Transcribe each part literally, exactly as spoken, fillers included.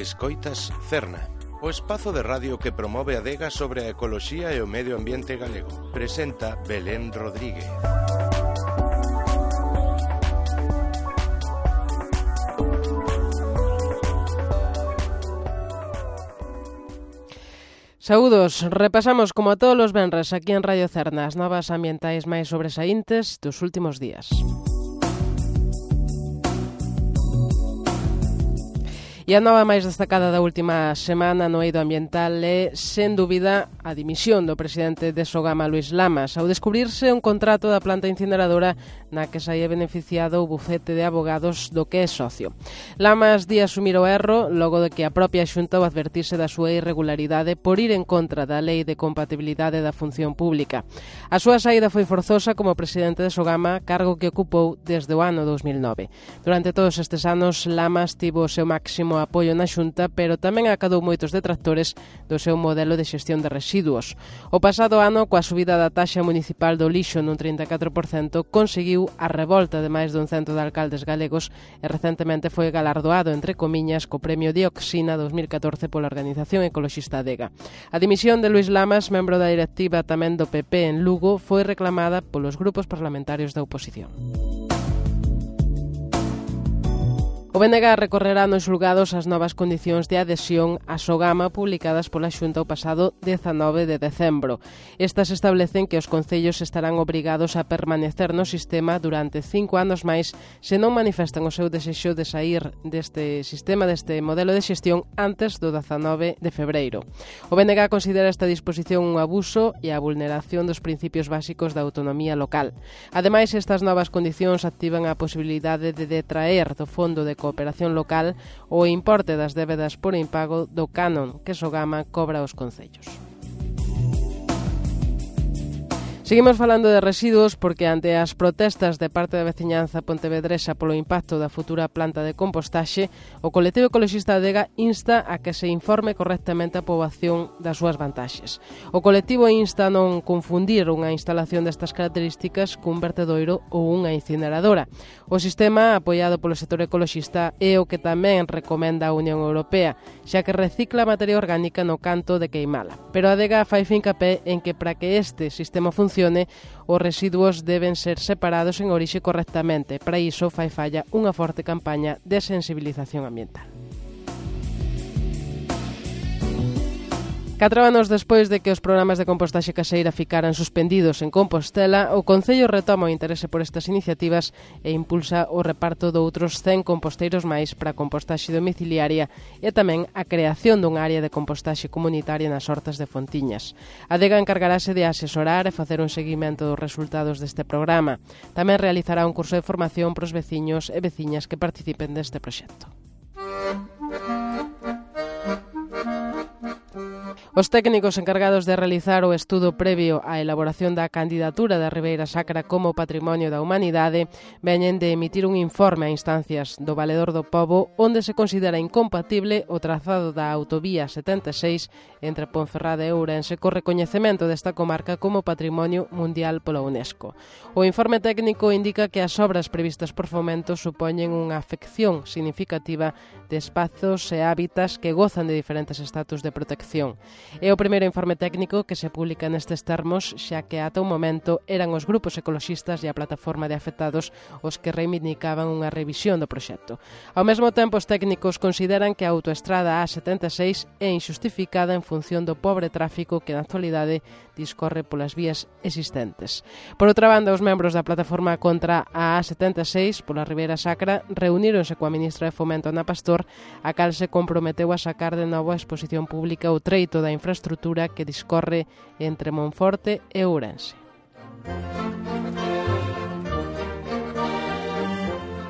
Escoitas Cerna, o espazo de radio que promove a adega sobre a ecoloxía e o medio ambiente galego. Presenta Belén Rodríguez. Saúdos, repasamos como a todos os venres aquí en Radio Cerna as novas ambientais máis sobresaíntes dos últimos días. E a nova máis destacada da última semana no eido ambiental é, sen dúbida, a dimisión do presidente de Sogama, Luís Lamas, ao descubrirse un contrato da planta incineradora na que saía beneficiado o bufete de abogados do que é socio. Lamas di asumir o erro logo de que a propia Xunta o advertise da súa irregularidade por ir en contra da Lei de Compatibilidade da Función Pública. A súa saída foi forzosa como presidente de Sogama, cargo que ocupou desde o ano dos mil nove. Durante todos estes anos, Lamas tivo o seu máximo apoio na Xunta, pero tamén acadou moitos detractores do seu modelo de xestión de residuos. O pasado ano, coa subida da taxa municipal do lixo nun trinta e catro por cento, conseguiu a revolta de máis dun cento de alcaldes galegos e recentemente foi galardoado, entre comiñas, co Premio Dioxina dos mil catorce pola Organización Ecoloxista Adega. A dimisión de Luís Lamas, membro da directiva tamén do P P en Lugo, foi reclamada polos grupos parlamentarios da oposición. O B N G recorrerá nos xulgados as novas condicións de adhesión a Sogama publicadas pola Xunta o pasado dezanove de decembro. Estas establecen que os concellos estarán obrigados a permanecer no sistema durante cinco anos máis se non manifestan o seu desexo de sair deste sistema, deste modelo de xestión, antes do dezanove de febreiro. O B N G considera esta disposición un abuso e a vulneración dos principios básicos da autonomía local. Ademais, estas novas condicións activan a posibilidade de detraer do Fondo de Cooperación Local o importe das débedas por impago do canon que Sogama cobra aos concellos. Seguimos falando de residuos porque ante as protestas de parte da veciñanza pontevedresa polo impacto da futura planta de compostaxe, o colectivo ecoloxista Adega insta a que se informe correctamente a poboación das súas vantaxes. O colectivo insta a non confundir unha instalación destas características cun vertedoiro ou unha incineradora. O sistema, apoiado polo sector ecoloxista, é o que tamén recomenda a Unión Europea, xa que recicla materia orgánica no canto de queimala. Pero a Adega fai fincapé en que para que este sistema funcione, os residuos deben ser separados en orixe correctamente. Para iso fai falla unha forte campaña de sensibilización ambiental. Catro anos despois de que os programas de compostaxe caseira ficaran suspendidos en Compostela, o Concello retoma o interese por estas iniciativas e impulsa o reparto de outros cen composteiros máis para a compostaxe domiciliaria e tamén a creación dunha área de compostaxe comunitaria nas hortas de Fontiñas. A Adega encargarase de asesorar e facer un seguimento dos resultados deste programa. Tamén realizará un curso de formación para os veciños e veciñas que participen deste proxecto. Os técnicos encargados de realizar o estudo previo á elaboración da candidatura da Ribeira Sacra como Patrimonio da Humanidade veñen de emitir un informe a instancias do Valedor do Pobo onde se considera incompatible o trazado da autovía setenta e seis entre Ponferrada e Ourense co recoñecemento desta comarca como Patrimonio Mundial pola UNESCO. O informe técnico indica que as obras previstas por Fomento supoñen unha afección significativa de espazos e hábitats que gozan de diferentes estatus de protección. É o primeiro informe técnico que se publica nestes termos, xa que ata o momento eran os grupos ecoloxistas e a plataforma de afectados os que reivindicaban unha revisión do proxecto. Ao mesmo tempo, os técnicos consideran que a autoestrada A setenta e seis é injustificada en función do pobre tráfico que na actualidade discorre polas vías existentes. Por outra banda, os membros da plataforma contra a A setenta e seis pola Ribeira Sacra reuníronse coa ministra de Fomento, Ana Pastor, a cal se comprometeu a sacar de novo a exposición pública o treito da infraestrutura que discorre entre Monforte e Ourense.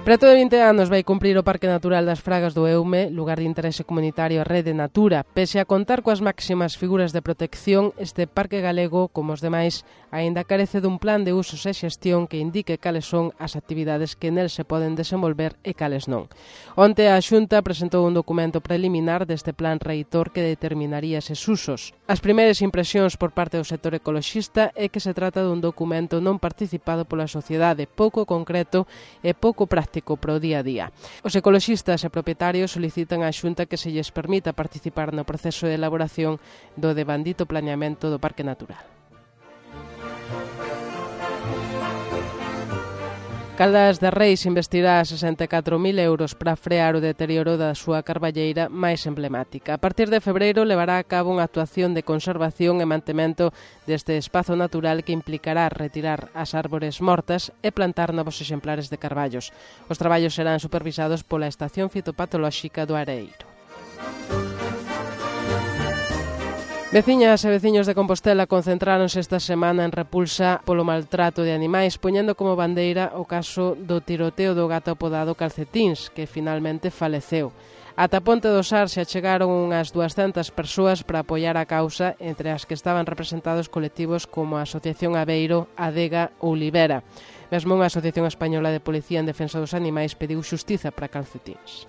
Preto de vinte anos vai cumprir o Parque Natural das Fragas do Eume, lugar de interese comunitario Rede Natura. Pese a contar coas máximas figuras de protección, este parque galego, como os demais, aínda carece dun plan de usos e xestión que indique cales son as actividades que nel se poden desenvolver e cales non. Onte a Xunta presentou un documento preliminar deste plan reitor que determinaría eses usos. As primeiras impresións por parte do sector ecoloxista é que se trata dun documento non participado pola sociedade, pouco concreto e pouco práctico, práctico para o día a día. Os ecoloxistas e propietarios solicitan á Xunta que se lles permita participar no proceso de elaboración do devandito planeamento do Parque Natural. Caldas de Reis investirá sesenta e catro mil euros para frear o deterioro da súa carballeira máis emblemática. A partir de febreiro levará a cabo unha actuación de conservación e mantemento deste espazo natural que implicará retirar as árbores mortas e plantar novos exemplares de carballos. Os traballos serán supervisados pola Estación Fitopatolóxica do Areeiro. Veciñas e veciños de Compostela concentráronse esta semana en repulsa polo maltrato de animais, poñendo como bandeira o caso do tiroteo do gato apodado Calcetíns, que finalmente faleceu. Ata Ponte do Sar se achegaron unhas duascentas persoas para apoiar a causa, entre as que estaban representados colectivos como a Asociación Aveiro, Adega ou Libera. Mesmo unha Asociación Española de Policía en Defensa dos Animais pediu xustiza para Calcetíns.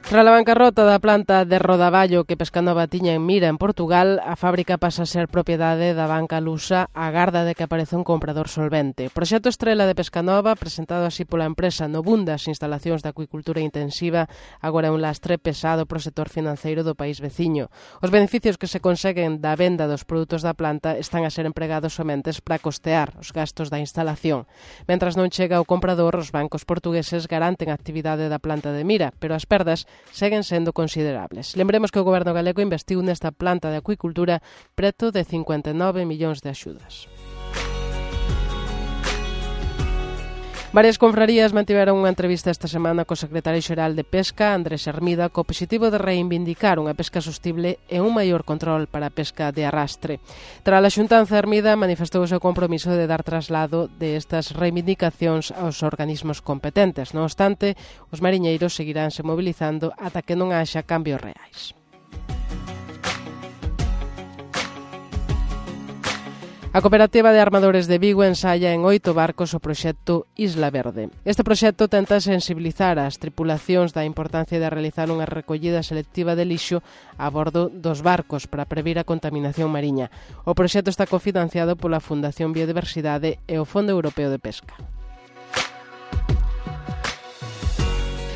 Tras a bancarrota da planta de rodaballo que Pescanova tiña en mira en Portugal, a fábrica pasa a ser propiedade da banca lusa a garda de que aparece un comprador solvente. Proxecto estrela de Pescanova, presentado así pola empresa no boom das instalacións de acuicultura intensiva, agora é un lastre pesado pro sector financeiro do país veciño. Os beneficios que se conseguen da venda dos produtos da planta están a ser empregados somente para costear os gastos da instalación. Mentras non chega o comprador, os bancos portugueses garanten a actividade da planta de mira, pero as perdas seguen sendo considerables. Lembremos que o goberno galego investiu nesta planta de acuicultura preto de cincuenta e nove millóns de axudas. Varias confrarías mantiveron unha entrevista esta semana co secretario xeral de Pesca, Andrés Hermida, co obxectivo de reivindicar unha pesca sostible e un maior control para a pesca de arrastre. Tras a xuntanza, Hermida manifestou o seu compromiso de dar traslado de estas reivindicacións aos organismos competentes. Non obstante, os mariñeiros seguiránse mobilizando ata que non haxa cambios reais. A Cooperativa de Armadores de Vigo ensaya en oito barcos o proxecto Isla Verde. Este proxecto tenta sensibilizar as tripulacións da importancia de realizar unha recollida selectiva de lixo a bordo dos barcos para previr a contaminación mariña. O proxecto está cofinanciado pola Fundación Biodiversidade e o Fondo Europeo de Pesca.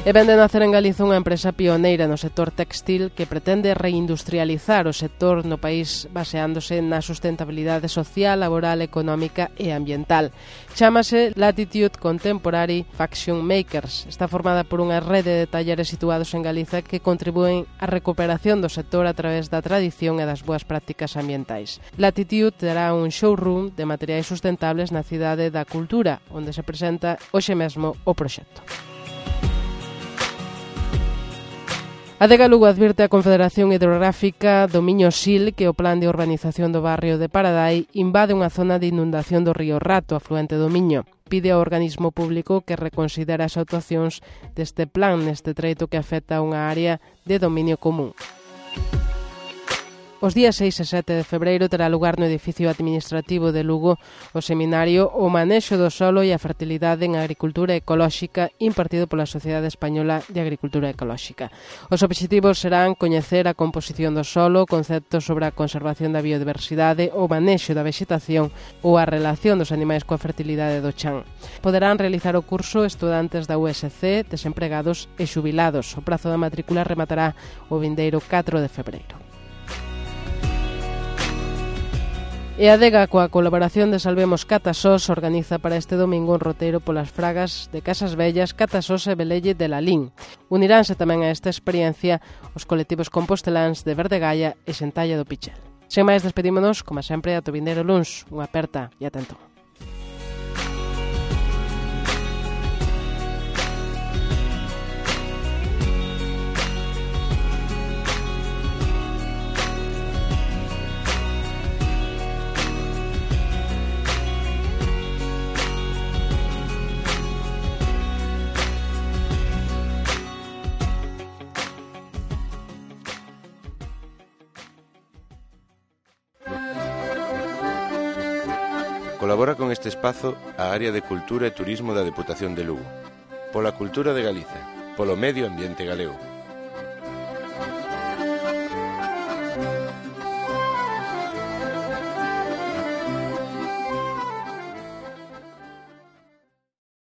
E vende nacer en Galiza unha empresa pioneira no sector textil que pretende reindustrializar o sector no país baseándose na sustentabilidade social, laboral, económica e ambiental. Chámase Latitude Contemporary Fashion Makers. Está formada por unha rede de talleres situados en Galiza que contribúen á recuperación do sector a través da tradición e das boas prácticas ambientais. Latitude terá un showroom de materiais sustentables na Cidade da Cultura, onde se presenta hoxe mesmo o proxecto. A Adega Lugo advirte a Confederación Hidrográfica do Miño Sil que o plan de urbanización do barrio de Paradai invade unha zona de inundación do río Rato, afluente do Miño. Pide ao organismo público que reconsidere as actuacións deste plan neste treito que afecta a unha área de dominio común. Os días seis e sete de febreiro terá lugar no edificio administrativo de Lugo o seminario O manexo do solo e a fertilidade en agricultura ecolóxica impartido pola Sociedade Española de Agricultura Ecolóxica. Os obxectivos serán coñecer a composición do solo, conceptos sobre a conservación da biodiversidade, o manexo da vexetación ou a relación dos animais coa fertilidade do chan. Poderán realizar o curso estudantes da U S C, desempregados e xubilados. O prazo da matrícula rematará o vindeiro catro de febreiro. E a Adega, coa colaboración de Salvemos Catasós, organiza para este domingo un roteiro polas fragas de Casas Vellas, Catasós e Velelle de Lalín. Uniránse tamén a esta experiencia os colectivos composteláns de Verdegaia e Sentalla do Pichel. Sen máis, despedímonos, como sempre, ata o vindeiro luns. Unha aperta e atento. Colabora con este espazo a Área de Cultura e Turismo da Deputación de Lugo. Pola cultura de Galiza, polo medio ambiente galego.